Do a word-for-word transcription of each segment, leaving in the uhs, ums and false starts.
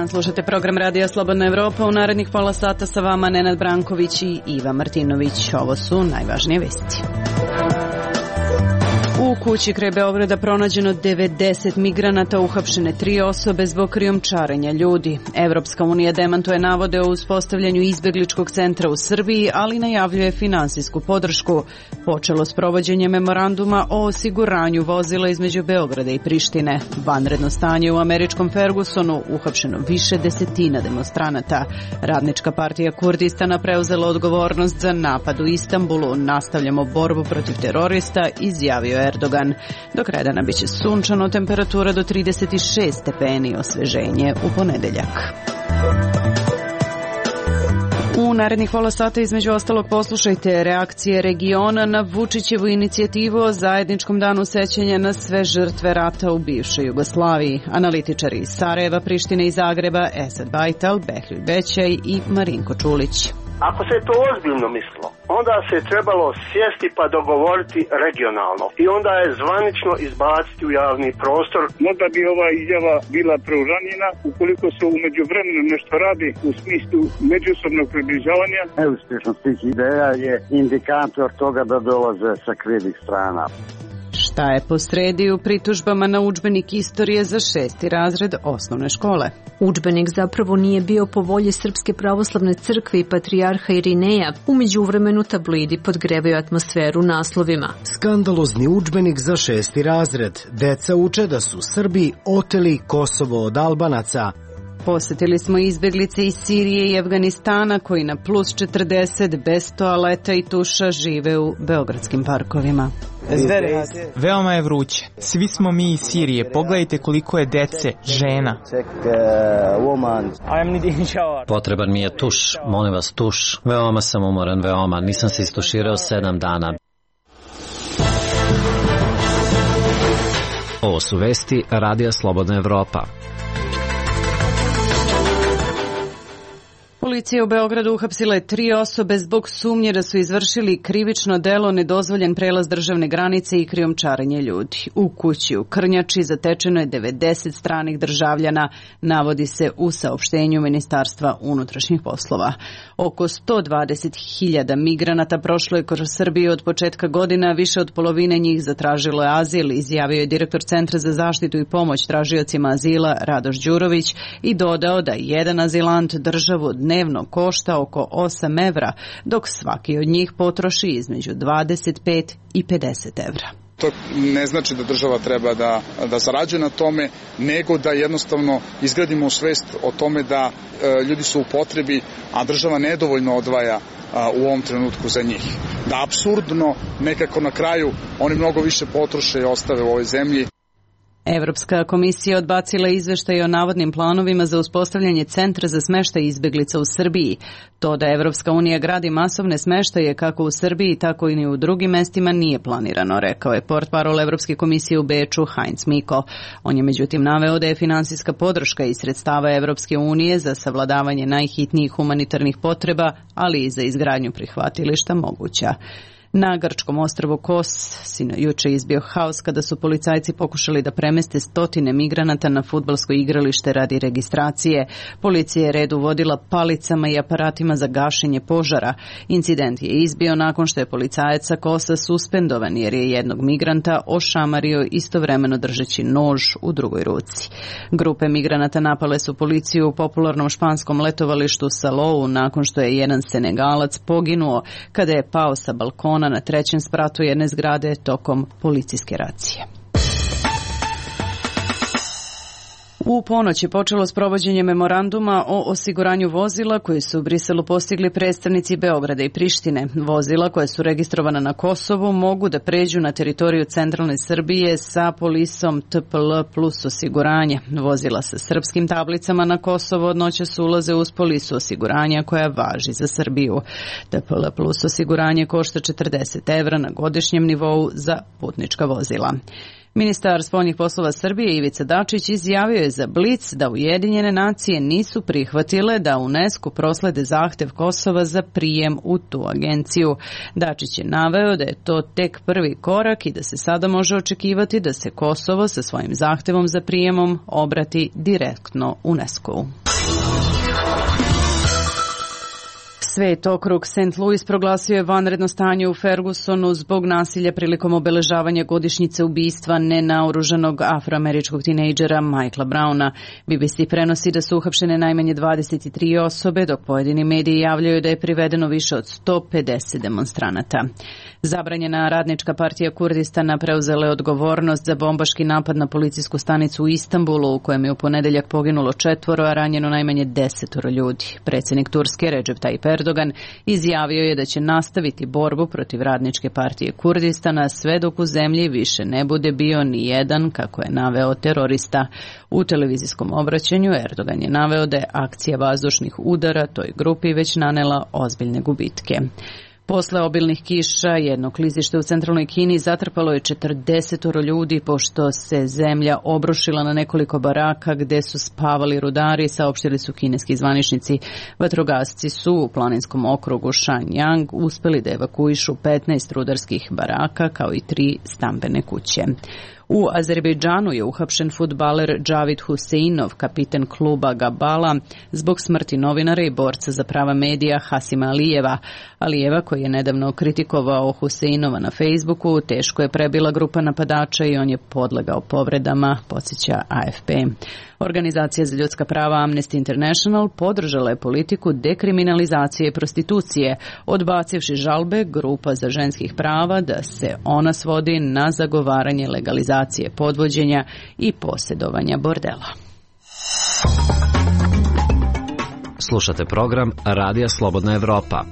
dan, slušate program Radija Slobodna Evropa. U narednih pola sata sa vama Nenad Branković i Iva Martinović. Ovo su najvažnije vesti. U kući kraj Beograda pronađeno devedeset migranata, uhapšene tri osobe zbog krijumčarenja ljudi. Evropska unija demantuje navode o uspostavljanju izbegličkog centra u Srbiji, ali najavljuje finansijsku podršku. Počelo s provođenjem memoranduma o osiguranju vozila između Beograda i Prištine. Vanredno stanje u američkom Fergusonu, uhapšeno više desetina demonstranata. Radnička partija Kurdistana preuzela odgovornost za napad u Istanbulu. Nastavljamo borbu protiv terorista, izjavio je Erdogan. Do kraja dana biće sunčano, temperatura do trideset šest stepeni, osveženje u ponedeljak. U narednih pola sata između ostalog poslušajte reakcije regiona na Vučićevu inicijativu o zajedničkom danu sećanja na sve žrtve rata u bivšoj Jugoslaviji. Analitičari iz Sarajeva, Prištine i Zagreba, Esad Bajtal, Behljuj Bećaj i Marinko Čulić. Ako se to ozbiljno mislilo, onda se trebalo sjesti pa dogovoriti regionalno i onda je zvanično izbaciti u javni prostor. Možda bi ova izjava bila preuranjena ukoliko se u međuvremenu nešto radi u smislu međusobnog približavanja. Neuspješnost tih ideja je indikator toga da dolaze sa krivih strana. Šta je posredi u pritužbama na udžbenik istorije za šesti razred osnovne škole? Udžbenik zapravo nije bio po volji Srpske pravoslavne crkve i patrijarha Irineja. U međuvremenu tabloidi podgrevaju atmosferu naslovima. Skandalozni udžbenik za šesti razred. Deca uče da su Srbi oteli Kosovo od Albanaca. Posjetili smo izbjeglice iz Sirije i Afganistana koji na plus četrdeset bez toaleta i tuša žive u beogradskim parkovima. Veoma je vruće. Svi smo mi iz Sirije. Pogledajte koliko je dece, žena. Potreban mi je tuš. Molim vas, tuš. Veoma sam umoran, veoma. Nisam se istuširao sedam dana. Ovo su vesti Radija Slobodna Evropa. Policija u Beogradu uhapsila je tri osobe zbog sumnje da su izvršili krivično delo nedozvoljen prelaz državne granice i krijumčarenje ljudi. U kući u Krnjači zatečeno je devedeset stranih državljana, navodi se u saopštenju Ministarstva unutrašnjih poslova. Oko sto dvadeset hiljada migranata prošlo je kroz Srbiju od početka godina, više od polovine njih zatražilo je azil, izjavio je direktor Centra za zaštitu i pomoć tražiocima azila Radoš Đurović i dodao da jedan azilant državu dnevno košta oko osam evra, dok svaki od njih potroši između dvadeset pet i pedeset evra. To ne znači da država treba da, da zarađuje na tome, nego da jednostavno izgradimo svest o tome da e, ljudi su u potrebi, a država nedovoljno odvaja a, u ovom trenutku za njih. Da apsurdno nekako na kraju oni mnogo više potroše i ostave u ovoj zemlji. Evropska komisija odbacila izveštaj o navodnim planovima za uspostavljanje centra za smeštaj izbeglica u Srbiji. To da Evropska unija gradi masovne smeštaje kako u Srbiji, tako i u drugim mestima nije planirano, rekao je portparol Evropske komisije u Beču Heinz Mikl. On je međutim naveo da je finansijska podrška iz sredstava Evropske unije za savladavanje najhitnijih humanitarnih potreba, ali i za izgradnju prihvatilišta moguća. Na grčkom ostrvu Kos juče izbio haos kada su policajci pokušali da premeste stotine migranata na fudbalsko igralište radi registracije. Policija je red uvodila palicama i aparatima za gašenje požara. Incident je izbio nakon što je policajac sa Kosa suspendovan jer je jednog migranta ošamario istovremeno držeći nož u drugoj ruci. Grupe migranata napale su policiju u popularnom španskom letovalištu Salou nakon što je jedan Senegalac poginuo kada je pao sa balkona na trećem spratu jedne zgrade tokom policijske racije. U ponoć je počelo s provođenjem memoranduma o osiguranju vozila koji su u Briselu postigli predstavnici Beograda i Prištine. Vozila koja su registrovana na Kosovu mogu da pređu na teritoriju centralne Srbije sa polisom T P L plus osiguranje. Vozila sa srpskim tablicama na Kosovo od noćas ulaze uz polisu osiguranja koja važi za Srbiju. T P L plus osiguranje košta četrdeset evra na godišnjem nivou za putnička vozila. Ministar spoljnih poslova Srbije Ivica Dačić izjavio je za Blic da Ujedinjene nacije nisu prihvatile da UNESCO proslede zahtev Kosova za prijem u tu agenciju. Dačić je naveo da je to tek prvi korak i da se sada može očekivati da se Kosovo sa svojim zahtevom za prijemom obrati direktno UNESCO-u. Svet okrug Saint Louis proglasio je vanredno stanje u Fergusonu zbog nasilja prilikom obeležavanja godišnjice ubistva nenaoružanog afroameričkog tinejdžera Michaela Browna. B B C prenosi da su uhapšene najmanje dvadeset tri osobe, dok pojedini mediji javljaju da je privedeno više od sto pedeset demonstranata. Zabranjena radnička partija Kurdistana preuzela je odgovornost za bombaški napad na policijsku stanicu u Istanbulu, u kojem je u ponedeljak poginulo četvoro, a ranjeno najmanje desetoro ljudi. Predsjednik Turske Recep Tayyip Erdogan izjavio je da će nastaviti borbu protiv radničke partije Kurdistana sve dok u zemlji više ne bude bio ni jedan, kako je naveo, terorista. U televizijskom obraćanju Erdogan je naveo da je akcija vazdušnih udara toj grupi već nanela ozbiljne gubitke. Posle obilnih kiša jedno klizište u centralnoj Kini zatrpalo je četrdesetoro ljudi pošto se zemlja obrušila na nekoliko baraka gde su spavali rudari, saopštili su kineski zvaničnici. Vatrogasci su u planinskom okrugu Shenyang uspeli da evakuišu petnaest rudarskih baraka kao i tri stambene kuće. U Azerbejdžanu je uhapšen fudbaler Džavid Huseinov, kapiten kluba Gabala, zbog smrti novinara i borca za prava medija Hasima Alijeva. Alijeva, koji je nedavno kritikovao Huseinova na Facebooku, teško je prebila grupa napadača i on je podlegao povredama, podsjeća A F P. Organizacija za ljudska prava Amnesty International podržala je politiku dekriminalizacije prostitucije, odbacivši žalbe grupa za ženskih prava da se ona svodi na zagovaranje legalizacije podvođenja i posjedovanja bordela. Slušate program Radija Slobodna Evropa.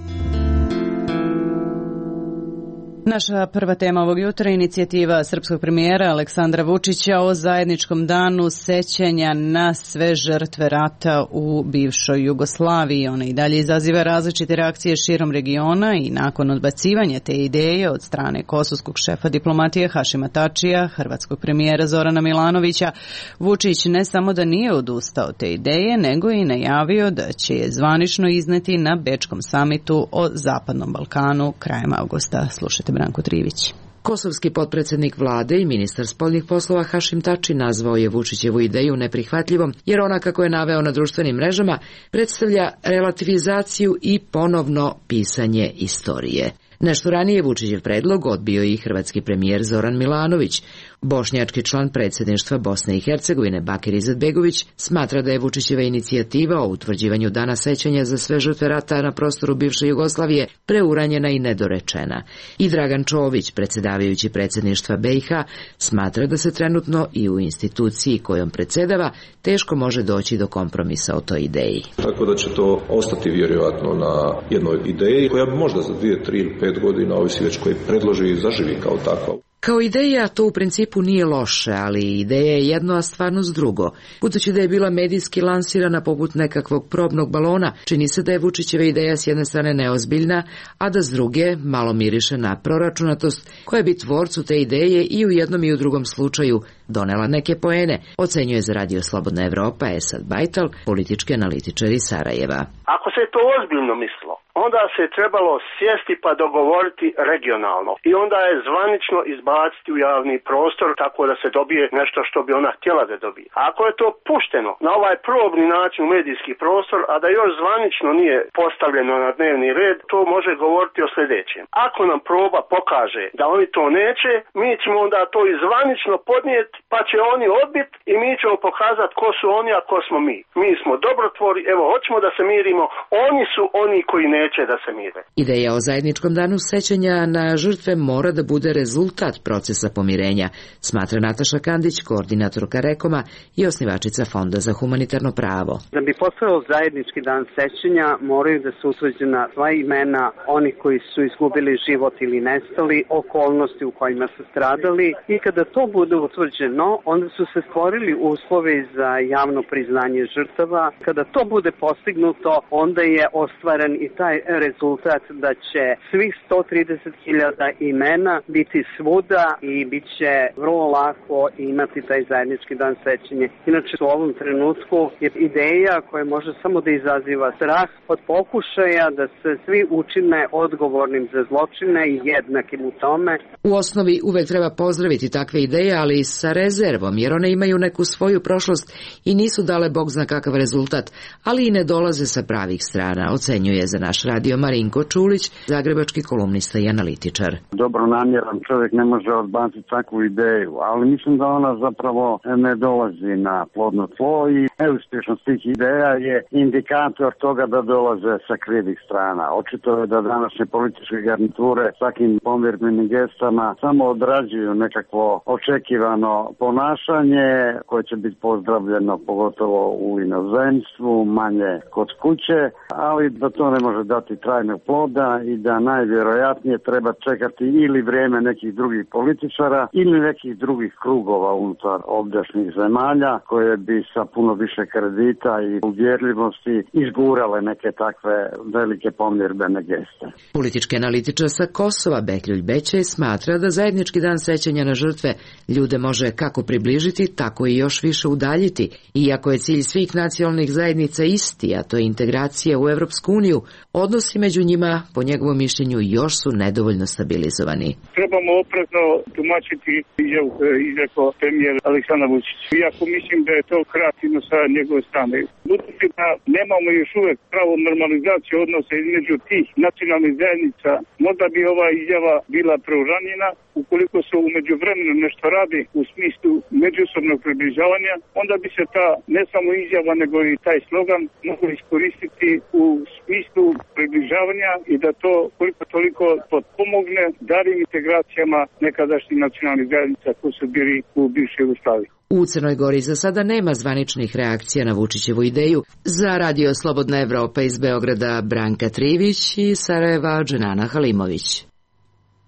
Naša prva tema ovog jutra je inicijativa srpskog premijera Aleksandra Vučića o zajedničkom danu sećanja na sve žrtve rata u bivšoj Jugoslaviji. Ona i dalje izaziva različite reakcije širom regiona i nakon odbacivanja te ideje od strane kosovskog šefa diplomatije Hašima Tačija, hrvatskog premijera Zorana Milanovića, Vučić ne samo da nije odustao te ideje, nego i najavio da će je zvanično izneti na Bečkom samitu o Zapadnom Balkanu krajem avgusta. Slušajte Branko Trivić. Kosovski potpredsjednik vlade i ministar spoljnih poslova Hašim Tači nazvao je Vučićevu ideju neprihvatljivom, jer ona, kako je naveo na društvenim mrežama, predstavlja relativizaciju i ponovno pisanje istorije. Nešto ranije Vučićev predlog odbio i hrvatski premijer Zoran Milanović. Bošnjački član predsjedništva Bosne i Hercegovine Bakir Izetbegović smatra da je Vučićeva inicijativa o utvrđivanju dana sećanja za sve žrtve rata na prostoru bivše Jugoslavije preuranjena i nedorečena. I Dragan Čović, predsjedavajući predsjedništva B i H, smatra da se trenutno i u instituciji kojom predsjedava teško može doći do kompromisa o toj ideji. Tako da će to ostati vjerojatno na jednoj ideji koja bi možda za dvije, tri ili pet godina, ovisi već koji predloži i zaživi kao takva. Kao ideja to u principu nije loše, ali ideja je jedno, a stvarnost drugo. Budući da je bila medijski lansirana poput nekakvog probnog balona, čini se da je Vučićeva ideja s jedne strane neozbiljna, a da s druge malo miriše na proračunatost koja bi tvorcu te ideje i u jednom i u drugom slučaju donela neke poene, ocenjuje za Radio Slobodna Evropa Esad Bajtal, politički analitičar iz Sarajeva. Ako se to ozbiljno mislo, onda se trebalo sjesti pa dogovoriti regionalno i onda je zvanično izbaciti u javni prostor tako da se dobije nešto što bi ona htjela da dobije. Ako je to pušteno na ovaj probni način u medijski prostor, a da još zvanično nije postavljeno na dnevni red, to može govoriti o sljedećem. Ako nam proba pokaže da oni to neće, mi ćemo onda to i zvanično podnijeti, pa će oni odbiti i mi ćemo pokazati ko su oni, a ko smo mi. Mi smo dobrotvori, evo, hoćemo da se mirimo, oni su oni koji neće da se mire. Ideja o zajedničkom danu sećanja na žrtve mora da bude rezultat procesa pomirenja, smatra Nataša Kandić, koordinatorka Rekoma i osnivačica Fonda za humanitarno pravo. Da bi postojao zajednički dan sećanja, moraju da se utvrđena sva imena onih koji su izgubili život ili nestali, okolnosti u kojima su stradali, i kada to bude utvrđeno, onda su se stvorili uslovi za javno priznanje žrtava. Kada to bude postignuto, onda je ostvaren i taj rezultat da će svih sto trideset hiljada imena biti svuda i bit će vrlo lako imati taj zajednički dan sećanja. Inače, u ovom trenutku je ideja koja može samo da izaziva strah od pokušaja da se svi učine odgovornim za zločine i jednakim u tome. U osnovi uvek treba pozdraviti takve ideje, ali sa rezervom, jer one imaju neku svoju prošlost i nisu dale bog zna kakav rezultat, ali i ne dolaze sa pravih strana, ocenjuje za naš radio Marinko Čulić, zagrebački kolumnista i analitičar. Dobronamjeran čovjek ne može odbaciti takvu ideju, ali mislim da ona zapravo ne dolazi na plodno tlo i neuspješnost tih ideja je indikator toga da dolaze sa krivih strana. Očito je da današnje političke garniture s takim pomirbenim gestama samo odrađuju nekakvo očekivano ponašanje koje će biti pozdravljeno pogotovo u inozemstvu, manje kod kuće, ali da to ne može dati trajnog ploda i da najvjerojatnije treba čekati ili vrijeme nekih drugih političara ili nekih drugih krugova unutar ovdašnjih zemalja koje bi sa puno više kredita i uvjerljivosti izgurale neke takve velike pomirbene geste. Politički analitičar sa Kosova Bekljulj Bećej smatra da zajednički dan sećanja na žrtve ljude može kako približiti, tako i još više udaljiti. Iako je cilj svih nacionalnih zajednica isti, a to je integracija u Evropsku uniju, odnosi među njima, po njegovom mišljenju, još su nedovoljno stabilizovani. Trebamo oprezno tumačiti izjavu koju je izrekao premijer Aleksandar Vučić. Iako mislim da je to kreativno sa njegove strane. Budući da nemamo još uvek pravu normalizaciju odnosa između tih nacionalnih zajednica, možda bi ova izjava bila preuranjena. Ukoliko se umeđu vremenu nešto radi u smislu međusobnog približavanja, onda bi se ta ne samo izjava nego i taj slogan mogli iskoristiti u smislu približavanja i da to koliko toliko potpomogne daljim integracijama nekadašnjih nacionalnih zajednica koji su bili u bivšoj Jugoslaviji. U Crnoj Gori za sada nema zvaničnih reakcija na Vučićevu ideju. Za Radio Slobodna Evropa iz Beograda Branka Trivić i Sarajeva Dženana Halimović.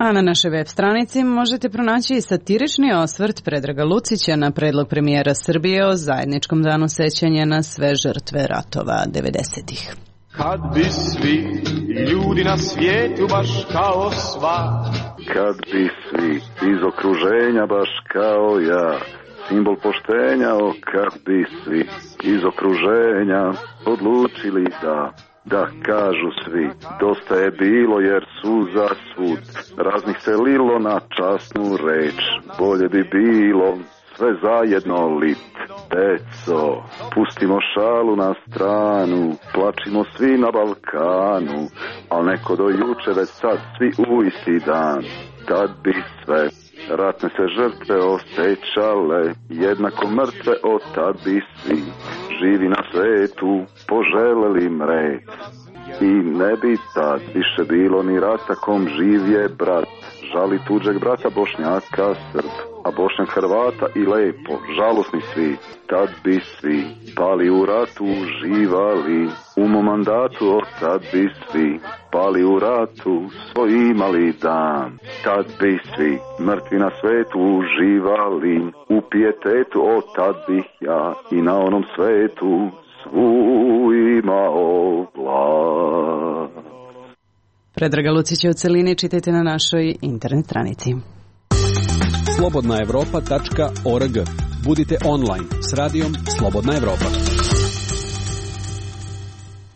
A na našoj web stranici možete pronaći i satirični osvrt Predraga Lucića na predlog premijera Srbije o zajedničkom danu sećanja na sve žrtve ratova devedesetih. Kad bi svi ljudi na svijetu baš kao sva, kad bi svi iz okruženja baš kao ja, simbol poštenja, o kad bi svi iz okruženja odlučili da Da kažu svi, dosta je bilo jer su za svud raznih se lilo na časnu reč. Bolje bi bilo sve zajedno lit. Deco, pustimo šalu na stranu, plačimo svi na Balkanu, al neko do juče već sad svi u isti dan. Tad bi sve ratne se žrtve osjećale, jednako mrtve od tad bi svi živi na svetu poželeli mret. I ne bi tad više bilo ni rata kom živ je brat, žali tuđeg brata Bošnjaka Srb, a Bošnjak Hrvata i lepo, žalosni svi. Tad bi svi pali u ratu živali, u mom mandatu od tad bi svi pali u ratu svoj imali dan. Tad bi svi mrtvi na svetu uživali, u pijetetu od tad bih ja i na onom svetu svu imao vlast. Predraga Lucića u celini čitajte na našoj internet stranici. slobodna evropa tačka org. Budite online s radijom Slobodna Evropa.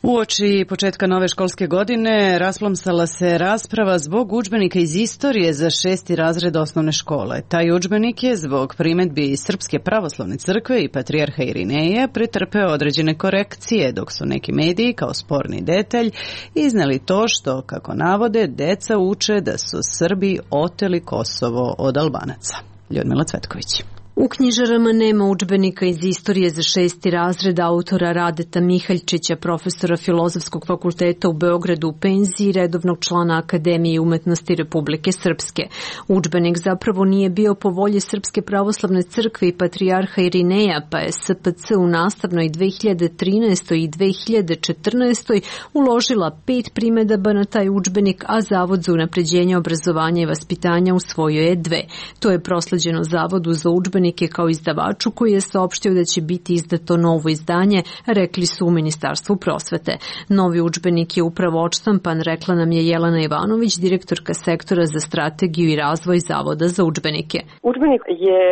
Uoči početka nove školske godine rasplomsala se rasprava zbog udžbenika iz istorije za šesti razred osnovne škole. Taj udžbenik je zbog primedbi Srpske pravoslavne crkve i patrijarha Irineja pretrpeo određene korekcije, dok su neki mediji kao sporni detalj izneli to što, kako navode, deca uče da su Srbi oteli Kosovo od Albanaca. Ljudmila Cvetković. U knjižarama nema udžbenika iz istorije za šesti razred autora Radeta Mihaljčića, profesora Filozofskog fakulteta u Beogradu u penziji i redovnog člana Akademije umetnosti Republike Srpske. Udžbenik zapravo nije bio po volji Srpske pravoslavne crkve i patrijarha Irineja, pa je S P C u nastavnoj dve hiljade trinaestoj i dve hiljade četrnaestoj uložila pet primedaba na taj udžbenik, a Zavod za unapređenje obrazovanja i vaspitanja usvojio je dve. To je prosleđeno Zavodu za udžbenik kao izdavaču koji je saopštio da će biti izdato novo izdanje, rekli su u Ministarstvu prosvete. Novi udžbenik je upravo odštampan, rekla nam je Jelena Ivanović, direktorka sektora za strategiju i razvoj Zavoda za udžbenike. Udžbenik je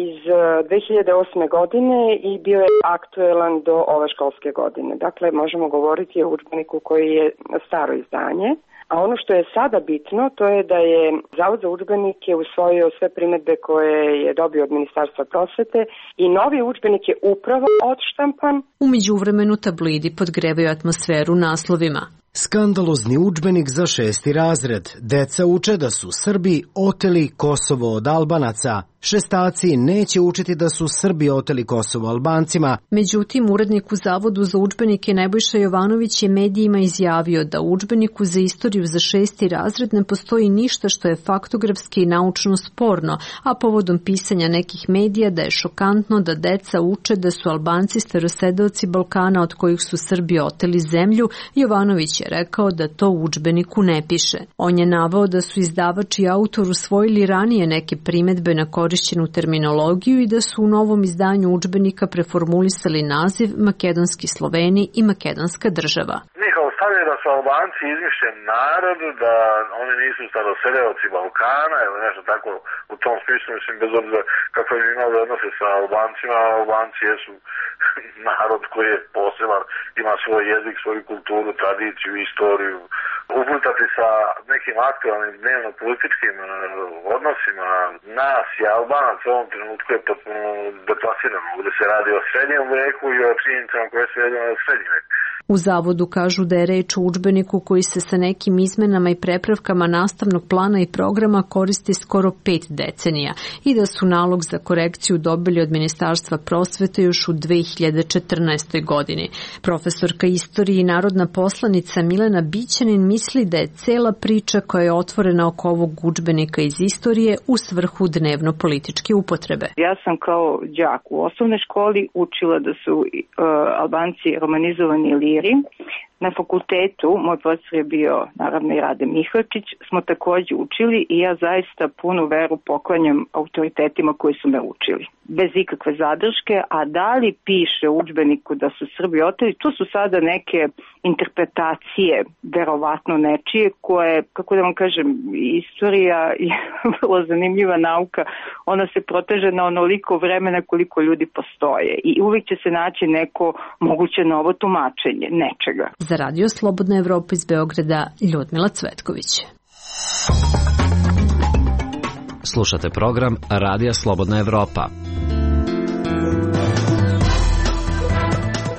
iz dve hiljade osme godine i bio je aktuelan do ove školske godine. Dakle, možemo govoriti o udžbeniku koji je staro izdanje. A ono što je sada bitno, to je da je Zavod za udžbenike usvojio sve primedbe koje je dobio od Ministarstva Ministarstva prosvete i novi udžbenik je upravo odštampan. U međuvremenu tablidi podgrevaju atmosferu naslovima. Skandalozni udžbenik za šesti razred. Deca uče da su Srbi oteli Kosovo od Albanaca. Šestaci neće učiti da su Srbi oteli Kosovo Albancima. Međutim, urednik u Zavodu za udžbenike Nebojša Jovanović je medijima izjavio da u udžbeniku za istoriju za šesti razred ne postoji ništa što je faktografski i naučno sporno, a povodom pisanja nekih medija da je šokantno da deca uče da su Albanci starosedeoci Balkana od kojih su Srbi oteli zemlju, Jovanović je rekao da to u udžbeniku ne piše. On je naveo da su izdavač i autor usvojili ranije neke primetbe na korišćenu terminologiju i da su u novom izdanju udžbenika preformulisali naziv Makedonski Sloveni i Makedonska država. Njihov stav je da su Albanci izmišljen narod, da oni nisu starosedeoci Balkana ili nešto tako u tom smislu, mislim, bez obzira kako im imali odnose sa Albancima, Albanci jesu narod koji je poseban, ima svoj jezik, svoju kulturu, tradiciju, istoriju. Uplitati sa nekim aktualnim dnevno-političkim odnosima nas i Albanac u ovom trenutku je potpuno deplasirano. Ovdje se radi o srednjem veku i o činjenicama koje se vedeno o srednjem veku. U Zavodu kažu da je reč o udžbeniku koji se sa nekim izmenama i prepravkama nastavnog plana i programa koristi skoro pet decenija i da su nalog za korekciju dobili od Ministarstva prosvete još u dve hiljade četrnaestoj. godini. Profesorka istorije i narodna poslanica Milena Bićanin misli da je cela priča koja je otvorena oko ovog udžbenika iz istorije u svrhu dnevno-političke upotrebe. Ja sam kao đak u osnovnoj školi učila da su uh, Albanci romanizovani liri. Na fakultetu, moj profesor je bio naravno i Rade Mihačić, smo također učili i ja zaista punu veru poklanjam autoritetima koji su me učili. Bez ikakve zadrške, a da li piše u udžbeniku da su Srbi oteli, tu su sada neke interpretacije, verovatno nečije, koje, kako da vam kažem, istorija je vrlo zanimljiva nauka, ona se proteže na onoliko vremena koliko ljudi postoje i uvijek će se naći neko moguće novo tumačenje nečega. Za Radio Slobodna Evropa iz Beograda, Ljudmila Cvetković. Slušate program Radija Slobodna Evropa.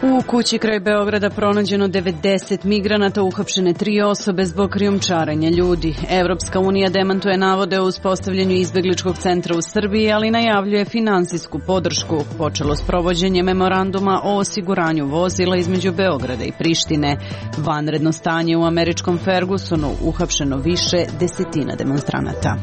U kući kraj Beograda pronađeno devedeset migranata, uhapšene tri osobe zbog krijumčarenja ljudi. Evropska unija demantuje navode o uspostavljanju izbegličkog centra u Srbiji, ali najavljuje finansijsku podršku. Počelo s provođenjem memoranduma o osiguranju vozila između Beograda i Prištine. Vanredno stanje u američkom Fergusonu, uhapšeno više desetina demonstranata.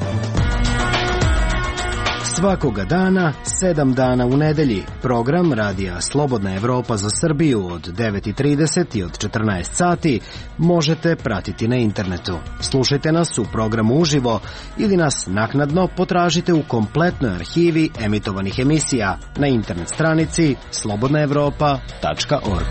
Svakoga dana, sedam dana u nedelji. Program Radija Slobodna Evropa za Srbiju od devet i trideset i od četrnaest sati možete pratiti na internetu. Slušajte nas u programu uživo ili nas naknadno potražite u kompletnoj arhivi emitovanih emisija na internet stranici slobodna evropa tačka org.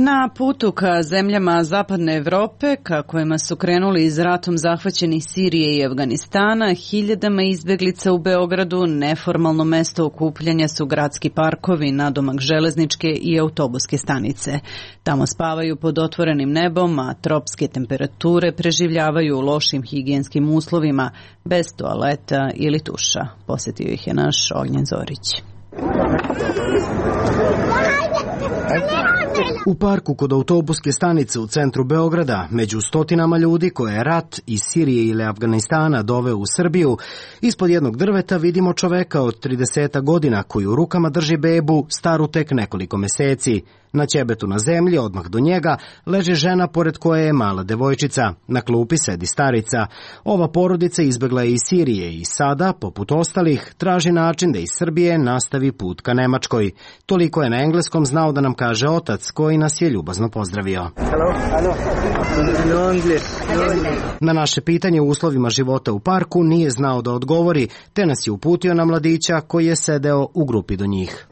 Na putu ka zemljama Zapadne Evrope, ka kojima su krenuli iz ratom zahvaćeni Sirije i Afganistana, hiljadama izbeglica u Beogradu neformalno mesto okupljanja su gradski parkovi, nadomak železničke i autobuske stanice. Tamo spavaju pod otvorenim nebom, a tropske temperature preživljavaju u lošim higijenskim uslovima, bez toaleta ili tuša. Posjetio ih je naš Ognjen Zorić. U parku kod autobuske stanice u centru Beograda, među stotinama ljudi koje je rat iz Sirije ili Afganistana doveo u Srbiju, ispod jednog drveta vidimo čoveka od trideset godina koji u rukama drži bebu staru tek nekoliko meseci. Na ćebetu na zemlji, odmah do njega, leži žena pored koje je mala devojčica. Na klupi sedi starica. Ova porodica izbegla je iz Sirije i sada, poput ostalih, traži način da iz Srbije nastavi put ka Nemačkoj. Toliko je na engleskom znao da nam kaže otac, koji nas je ljubazno pozdravio. Hello, hello. No English. No English. Na naše pitanje o uslovima života u parku nije znao da odgovori, te nas je uputio na mladića koji je sedeo u grupi do njih.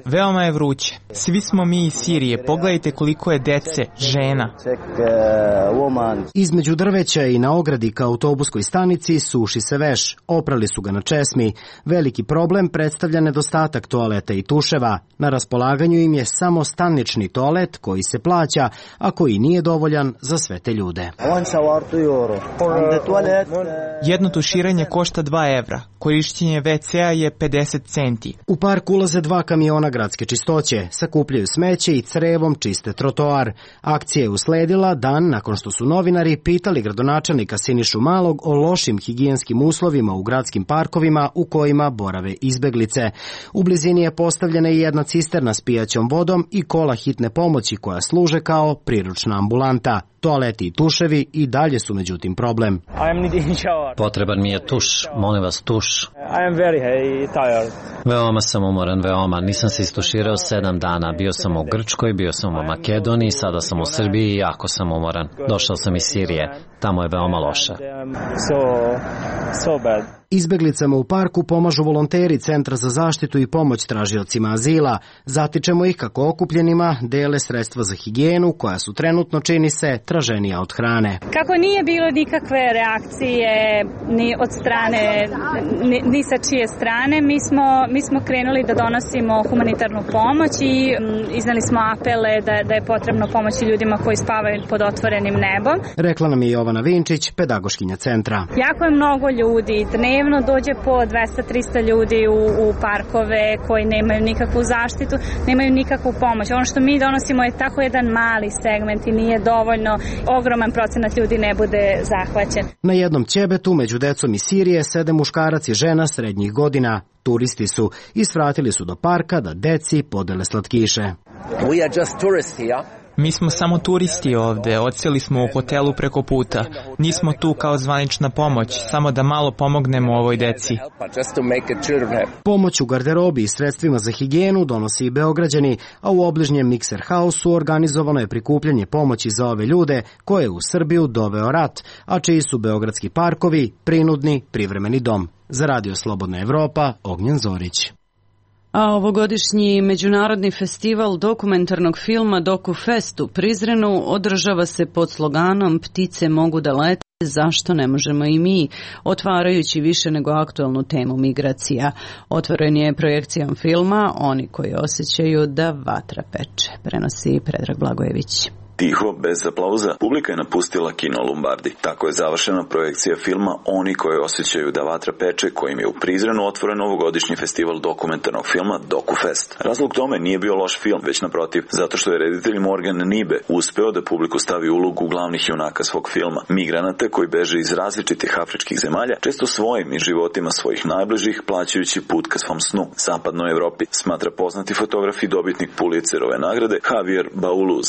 Veoma je vruće. Svi smo mi iz Sirije. Pogledajte koliko je dece, žena. Između drveća i na ogradi ka autobuskoj stanici suši se veš. Oprali su ga na česmi. Veliki problem predstavlja nedostatak toaleta i tuševa. Na raspolaganju im je samo stan granični toalet koji se plaća, a koji nije dovoljan za sve te ljude. Jedno tuširanje košta dva evra, korišćenje ve ce a je pedeset centi. U park ulaze dva kamiona gradske čistoće, sakupljaju smeće i crevom čiste trotoar. Akcija je usledila dan nakon što su novinari pitali gradonačelnika Sinišu Malog o lošim higijenskim uslovima u gradskim parkovima u kojima borave izbeglice. U blizini je postavljena i jedna cisterna s pijaćom vodom i kola hitne pomoći koja služe kao priručna ambulanta. Toaleti i tuševi i dalje su međutim problem. Potreban mi je tuš, molim vas tuš. Veoma sam umoran, veoma. Nisam se istuširao sedam dana. Bio sam u Grčkoj, bio sam u Makedoniji, sada sam u Srbiji i jako sam umoran. Došao sam iz Sirije. Tamo je veoma loše. Izbeglicama u parku pomažu volonteri Centra za zaštitu i pomoć tražiocima azila. Zatičemo ih kako okupljenima dele sredstva za higijenu koja su trenutno, čini se, traženija od hrane. Kako nije bilo nikakve reakcije ni od strane, ni, ni sa čije strane, mi smo, mi smo krenuli da donosimo humanitarnu pomoć i m, iznali smo apele da, da je potrebno pomoći ljudima koji spavaju pod otvorenim nebom. Rekla nam je Jovana Vinčić, pedagoškinja centra. Jako je mnogo ljudi, dnevno dođe po dvesta do trista ljudi u, u parkove koji nemaju nikakvu zaštitu, nemaju nikakvu pomoć. Ono što mi donosimo je tako jedan mali segment i nije dovoljno, ogroman procenat ljudi ne bude zahvaćen. Na jednom ćebetu među decom iz Sirije sede muškarac i žena srednjih godina. Turisti su i svratili su do parka da deci podele slatkiše. We are just tourists here. Mi smo samo turisti ovde, odseli smo u hotelu preko puta. Nismo tu kao zvanična pomoć, samo da malo pomognemo ovoj deci. Pomoć u garderobi i sredstvima za higijenu donosi i Beograđani, a u obližnjem Mixer House-u organizovano je prikupljanje pomoći za ove ljude koje je u Srbiju doveo rat, a čiji su beogradski parkovi prinudni privremeni dom. Za Radio Slobodna Evropa, Ognjen Zorić. A ovogodišnji međunarodni festival dokumentarnog filma DokuFest u Prizrenu održava se pod sloganom Ptice mogu da lete, zašto ne možemo i mi, otvarajući više nego aktualnu temu migracija. Otvoren je projekcijom filma Oni koji osjećaju da vatra peče, prenosi Predrag Blagojević. Tiho, bez aplauza, publika je napustila kino Lombardi. Tako je završena projekcija filma Oni koji osjećaju da vatra peče, kojim je u Prizrenu otvoren ovogodišnji festival dokumentarnog filma DokuFest. Razlog tome nije bio loš film, već naprotiv, zato što je reditelj Morgan Nibe uspeo da publiku stavi ulogu glavnih junaka svog filma, migranata koji beže iz različitih afričkih zemalja, često svojim i životima svojih najbližih, plaćajući put ka svom snu, zapadnoj Evropi, smatra poznati fotograf i dobitnik Pulitzerove nagrade Javier Bauluz.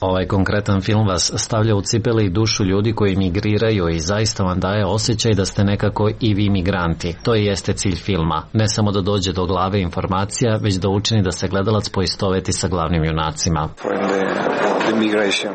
Ovaj konkretan film vas stavlja u cipele i dušu ljudi koji migriraju i zaista vam daje osjećaj da ste nekako i vi migranti. To i jeste cilj filma. Ne samo da dođe do glave informacija, već da učini da se gledalac poistoveti sa glavnim junacima.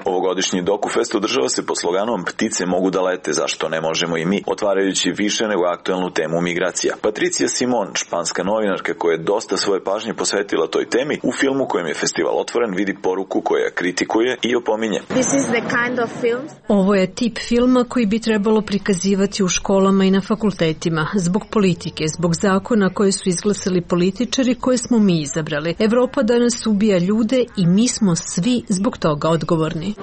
Ovogodišnji DokuFest održava se pod sloganom Ptice mogu da lete, zašto ne možemo i mi, otvarajući više nego aktualnu temu migracija. Patricija Simon, španska novinarka koja je dosta svoje pažnje posvetila toj temi, u filmu kojem je festival otvoren vidi poruku koja kritikuje i opominje. Kind of Ovo je tip filma koji bi trebalo prikazivati u školama i na fakultetima, zbog politike, zbog zakona koje su izglasali političari koje smo mi izabrali. Evropa danas ubija ljude i mi smo svi zbog toga odgovorni.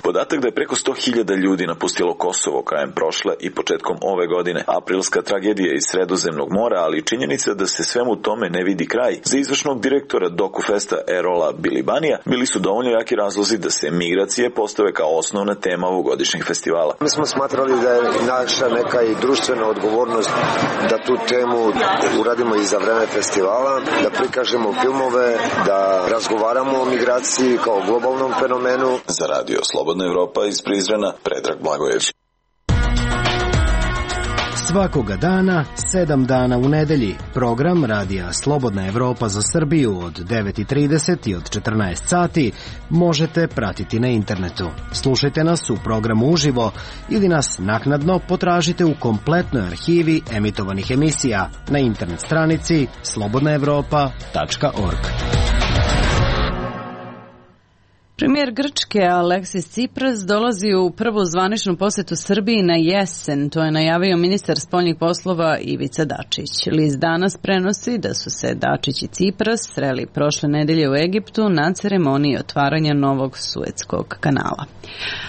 Podatak da je preko sto hiljada ljudi napustilo Kosovo krajem prošle i početkom ove godine, aprilska tragedija iz Sredozemnog mora, ali i činjenica da se svemu tome ne vidi kraj, za izvršnog direktora DokuFesta Erola Bilibanija bili su dovoljno jaki razlozi da se migracije postave kao osnovna tema ovogodišnjeg festivala. Mi smo smatrali da je naša neka i društvena odgovornost da tu temu uradimo i za vreme festivala, da prikažemo filmove, da razgovaramo o migraciji kao globalnom fenomenu. Za Radio Slobodna Evropa iz Prizrena, Predrag Blagojević. Svakoga dana, sedam dana u nedelji, program Radija Slobodna Evropa za Srbiju od devet i trideset i od četrnaest sati možete pratiti na internetu. Slušajte nas u programu uživo ili nas naknadno potražite u kompletnoj arhivi emitovanih emisija na internet stranici slobodna evropa tačka org. Premijer Grčke Aleksis Tsipras dolazi u prvu zvaničnu posetu Srbiji na jesen, to je najavio ministar spoljnih poslova Ivica Dačić. List Danas prenosi da su se Dačić i Tsipras sreli prošle nedelje u Egiptu na ceremoniji otvaranja novog Suetskog kanala.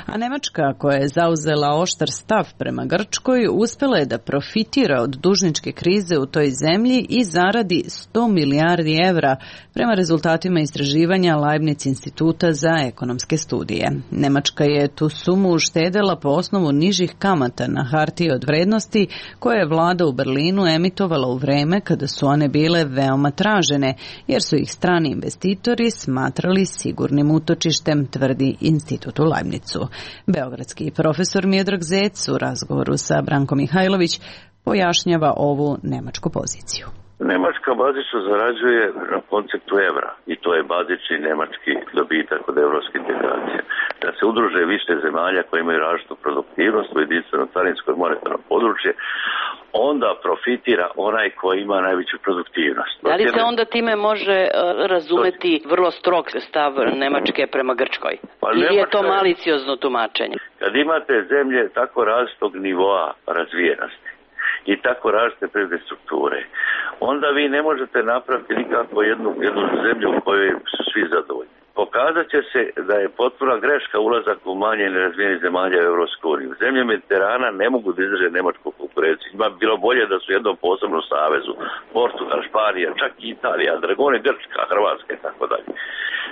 A Nemačka, koja je zauzela oštar stav prema Grčkoj, uspela je da profitira od dužničke krize u toj zemlji i zaradi sto milijardi evra prema rezultatima istraživanja Leibniz instituta za ekonomske studije. Nemačka je tu sumu uštedela po osnovu nižih kamata na hartije od vrednosti koje je vlada u Berlinu emitovala u vreme kada su one bile veoma tražene, jer su ih strani investitori smatrali sigurnim utočištem, tvrdi institut u Leibnizu. Beogradski profesor Miodrag Zec u razgovoru sa Brankom Mihajlović pojašnjava ovu nemačku poziciju. Nemačka bazično zarađuje na konceptu evra i to je bazični nemački dobitak od evropske integracije. Da se udruže više zemalja koje imaju različitu produktivnost u jedinstveno carinsko i monetarno područje, onda profitira onaj koji ima najveću produktivnost. Da li se onda time može uh, razumeti vrlo strog stav Nemačke prema Grčkoj? Pa ili Nemačka je to maliciozno tumačenje? Kad imate zemlje tako različitog nivoa razvijenosti i tako različite privredne strukture, onda vi ne možete napraviti nikako jednu, jednu zemlju u kojoj su svi zadovoljni. Pokazat će se da je potpuna greška ulazak u manje nerazvijenih zemalja u Europsku uniju. Zemlje Mediterana ne mogu da izdrže nemačku konkurenciju. Ima bilo bolje da su u jednom posebnom savezu. Portugal, Španija, čak i Italija, Dragone, Grčka, Hrvatska i tako dalje.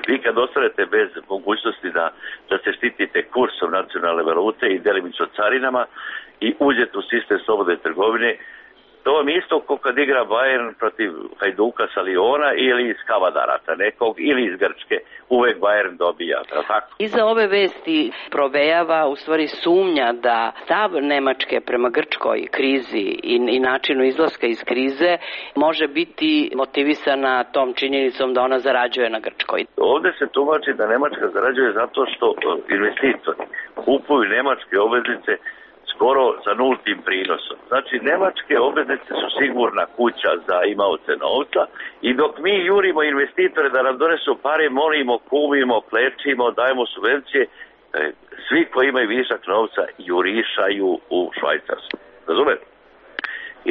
Vi kad ostanete bez mogućnosti da, da se štitite kursom nacionalne valute i delimično carinama i uđete u sistem slobodne trgovine, to vam isto kao kad igra Bayern protiv Hajduka sa Liona ili iz Kavadarata nekog ili iz Grčke. Uvek Bayern dobija, tako? Iza ove vesti provejava u stvari sumnja da stav Nemačke prema Grčkoj krizi i, i načinu izlaska iz krize može biti motivisana tom činjenicom da ona zarađuje na Grčkoj. Ovdje se tumači da Nemačka zarađuje zato što investitori kupuju nemačke obveznice skoro sa nultim prinosom. Znači, nemačke obveznice su sigurna kuća za imaoce novca i dok mi jurimo investitore da nam donesu pare, molimo, kumimo, klečimo, dajemo subvencije, svi koji imaju višak novca jurišaju u Švajcarsku. Razumete?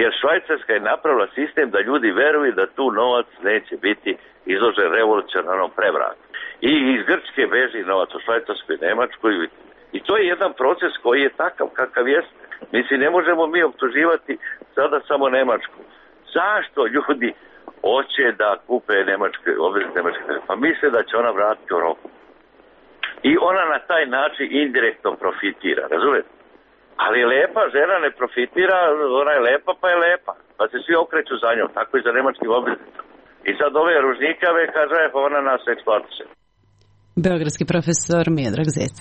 Jer Švajcarska je napravila sistem da ljudi veruju da tu novac neće biti izložen revolucionarnom prevratu. I iz Grčke beži novac u Švajcarsku i Nemačku i I to je jedan proces koji je takav kakav jest. Mislim, ne možemo mi optuživati sada samo Nemačku. Zašto ljudi hoće da kupe nemačke obveznice nemačke? Pa misle da će ona vratiti u roku. I ona na taj način indirektno profitira, razumete? Ali lepa žena ne profitira, ona je lepa pa je lepa. Pa se svi okreću za njom, tako i za nemačkim obveznicama. I sad ove ružnikave kaže, pa ona nas eksploatiše. Beogradski profesor Miodrag Zec.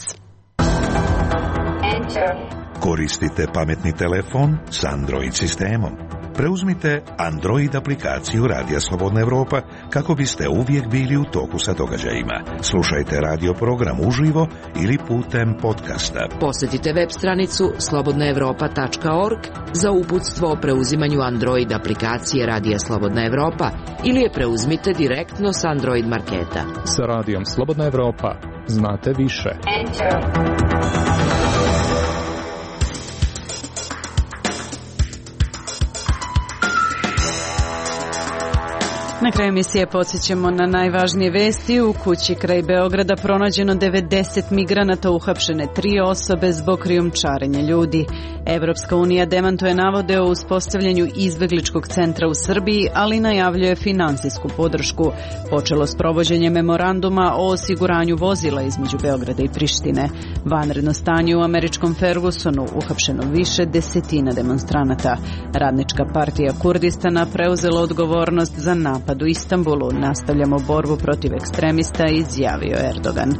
Koristite pametni telefon s Android sistemom. Preuzmite Android aplikaciju Radija Slobodna Evropa kako biste uvijek bili u toku sa događajima. Slušajte radio program uživo ili putem podcasta. Posjetite web stranicu slobodna evropa tačka org za uputstvo o preuzimanju Android aplikacije Radija Slobodna Evropa ili je preuzmite direktno s Android marketa. Sa Radijom Slobodna Evropa znate više. Enter. Na kraju emisije podsjećamo na najvažnije vesti. U kući kraj Beograda pronađeno devedeset migranata, uhapšene tri osobe zbog krijumčarenja ljudi. Evropska unija demantuje navode o uspostavljanju izbegličkog centra u Srbiji, ali najavljuje finansijsku podršku. Počelo s provođenjem memoranduma o osiguranju vozila između Beograda i Prištine. Vanredno stanje u američkom Fergusonu, uhapšeno više desetina demonstranata. Radnička partija Kurdistana preuzela odgovornost za napad u Istanbulu. Nastavljamo borbu protiv ekstremista, izjavio Erdogan.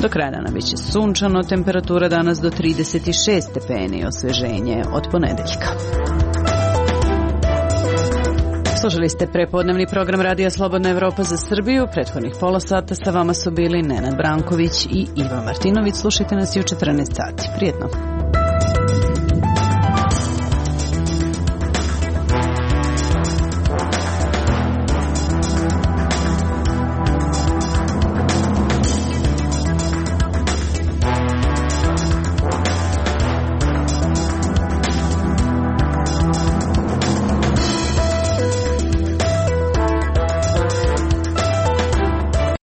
Do kraja dana biće sunčano, temperatura danas do trideset šest stepeni, osveženje od ponedeljka. Slušali ste prepodnevni program Radija Slobodna Evropa za Srbiju. Prethodnih pola sata sa vama su bili Nenad Branković i Iva Martinović. Slušajte nas i u četrnaest sati. Prijetno.